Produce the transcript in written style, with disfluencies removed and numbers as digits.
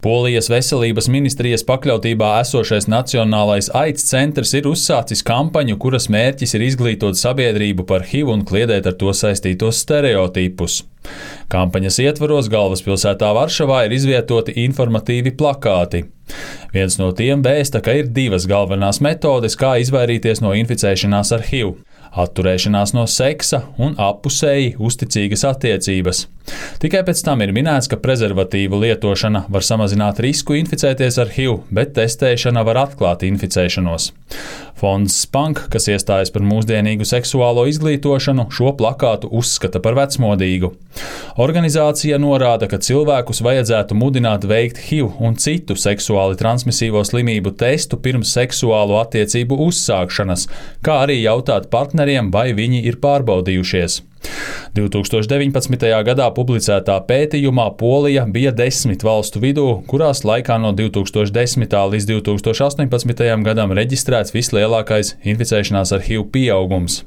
Polijas veselības ministrijas pakļautībā esošais Nacionālais AIDS centrs ir uzsācis kampaņu, kuras mērķis ir izglītot sabiedrību par HIV un kliedēt ar to saistītos stereotipus. Kampaņas ietvaros galvaspilsētā Varšavā ir izvietoti informatīvi plakāti. Viens no tiem vēsta, ka ir divas galvenās metodes, kā izvairīties no inficēšanās ar HIV – atturēšanās no seksa un appusēji uzticīgas attiecības. Tikai pēc tam ir minēts, ka prezervatīvu lietošana var samazināt risku inficēties ar HIV, bet testēšana var atklāt inficēšanos. Fonds Spank, kas iestājas par mūsdienīgu seksuālo izglītošanu, šo plakātu uzskata par vecmodīgu. Organizācija norāda, ka cilvēkus vajadzētu mudināt veikt HIV un citu seksuāli transmisīvo slimību testu pirms seksuālo attiecību uzsākšanas, kā arī jautāt partneriem, vai viņi ir pārbaudījušies. 2019. gadā publicētā pētījumā Polija bija 10 valstu vidū, kurās laikā no 2010. līdz 2018. gadam reģistrēts vislielākais inficēšanās ar HIV pieaugums.